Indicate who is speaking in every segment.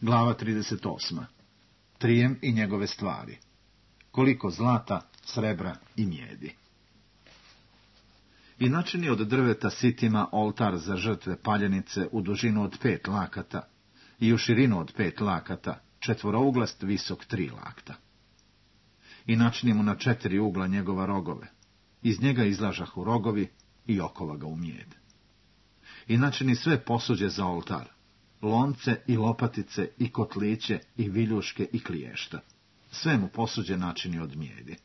Speaker 1: Glava 38. Trijem i njegove stvari. Koliko zlata, srebra i mijedi. I načini od drveta sitima oltar za žrtve paljenice u dužinu od 5 lakata i u širinu od 5 lakata, četvorouglost visok 3 lakta. I načini mu na 4 ugla njegova rogove. Iz njega izlažahu rogovi i okova ga u mijed. I načini sve posuđe za oltar, lonce i lopatice i kotliće i viljuške i kliješta. Sve mu posuđe načini od mijedi.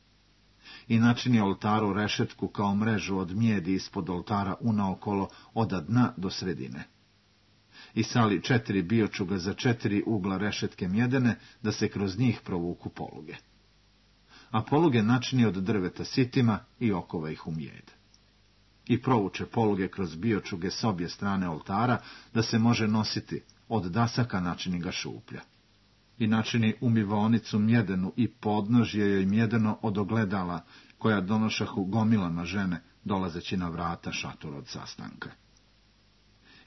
Speaker 1: I načini oltaru rešetku kao mrežu od mijedi ispod oltara unaokolo od dna do sredine. I sali 4 biočuga za 4 ugla rešetke mjedene, da se kroz njih provuku poluge. A poluge načini od drveta sitima i okova ih u mijed. I provuče poluge kroz biočuge s obje strane oltara, da se može nositi, od dasaka načini ga šuplja. I načini umivaonicu mjedenu i podnožje joj mjedeno od ogledala, koja donošahu gomilama žene, dolazeći na vrata šatora od sastanka.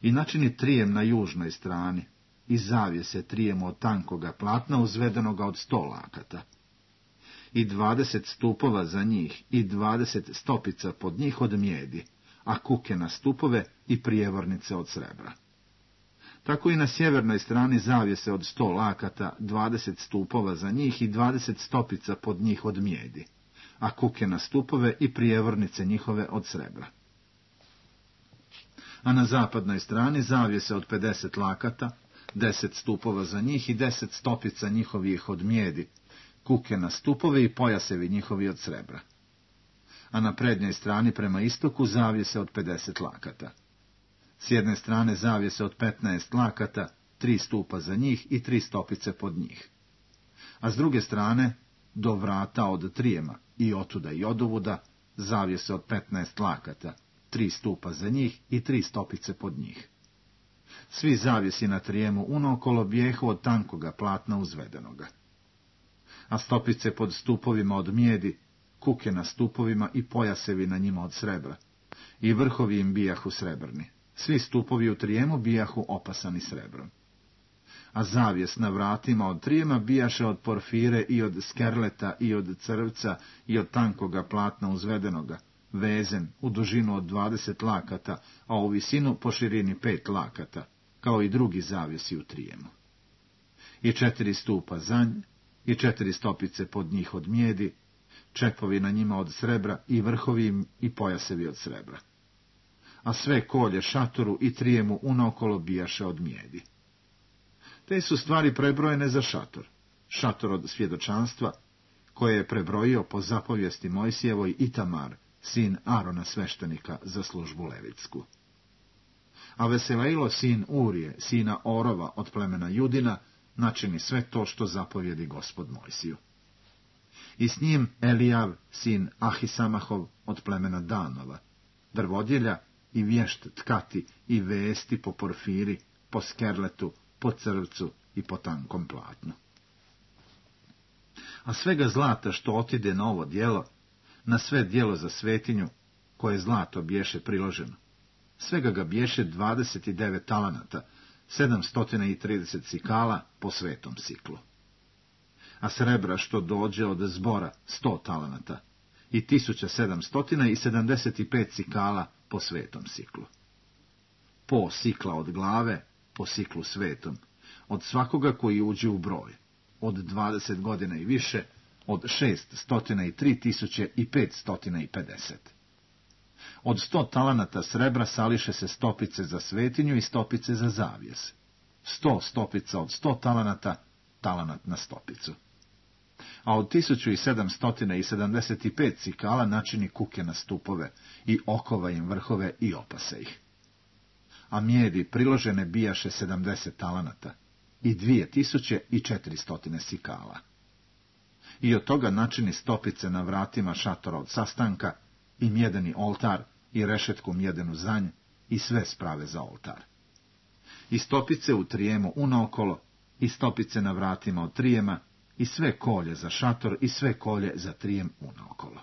Speaker 1: I načini trijem na južnoj strani, i zavjese trijem od tankoga platna uzvedenoga od 100 lakata. I 20 stupova za njih, i 20 stopica pod njih od mijedi, a kuke na stupove i prijevornice od srebra. Tako i na sjevernoj strani zavjese od 100 lakata, 20 stupova za njih i 20 stopica pod njih od mijedi, a kuke na stupove i prijevornice njihove od srebra. A na zapadnoj strani zavjese od 50 lakata, 10 stupova za njih i 10 stopica njihovih od mijedi, kuke na stupove i pojasevi njihovi od srebra. A na prednjoj strani prema istoku zavjese od 50 lakata. S jedne strane zavjese od 15 lakata, 3 stupa za njih i 3 stopice pod njih. A s druge strane, do vrata od trijema i otuda i odovuda, zavjese od 15 lakata, 3 stupa za njih i 3 stopice pod njih. Svi zavjesi na trijemu unaokolo bijehu od tankoga platna uzvedenoga. A stopice pod stupovima od mijedi, kuke na stupovima i pojasevi na njima od srebra, i vrhovi im bijahu srebrni. Svi stupovi u trijemu bijahu opasani srebrom. A zavjes na vratima od trijema bijaše od porfire i od skerleta i od crvca i od tankoga platna uzvedenoga, vezen u dužinu od 20 lakata, a u visinu po širini 5 lakata, kao i drugi zavjesi u trijemu. I 4 stupa za nj, i 4 stopice pod njih od mijedi, čepovi na njima od srebra i vrhovi im i pojasevi od srebra. A sve kolje šatoru i trijemu unaokolo bijaše od mijedi. Te su stvari prebrojene za šator od svjedočanstva, koje je prebrojio po zapovijesti Mojsijevoj Itamar, sin Arona sveštenika za službu levitsku. A Veselejlo, sin Urije, sina Orova od plemena Judina, načini sve to što zapovjedi Gospod Mojsiju. I s njim Elijav, sin Ahisamahov od plemena Danova, drvodjelja i vješt tkati i vesti po porfiri, po skerletu, po crvcu i po tankom platnu. A svega zlata što otide na ovo djelo, na sve djelo za svetinju, koje zlato biješe priloženo, svega ga biješe 29 talanata, 730 sikala po svetom siklu. A srebra što dođe od zbora 100 talanata i 1775 sikala po svetom siklu. Po sikla od glave, po siklu svetom, od svakoga koji uđe u broj, od 20 godina i više, od 603.550. Od 100 talanata srebra sališe se stopice za svetinju i stopice za zavjes. 100 stopica od 100 talanata, talanat na stopicu. A od 1775 sikala načini kuke na stupove i okova im vrhove i opase ih. A mijedi priložene bijaše 70 talanata i 2400 sikala. I od toga načini stopice na vratima šatora od sastanka i mjedeni oltar i rešetku mjedenu zanj i sve sprave za oltar. I stopice u trijemu unaokolo i stopice na vratima od trijema i sve kolje za šator i sve kolje za trijem unaokolo.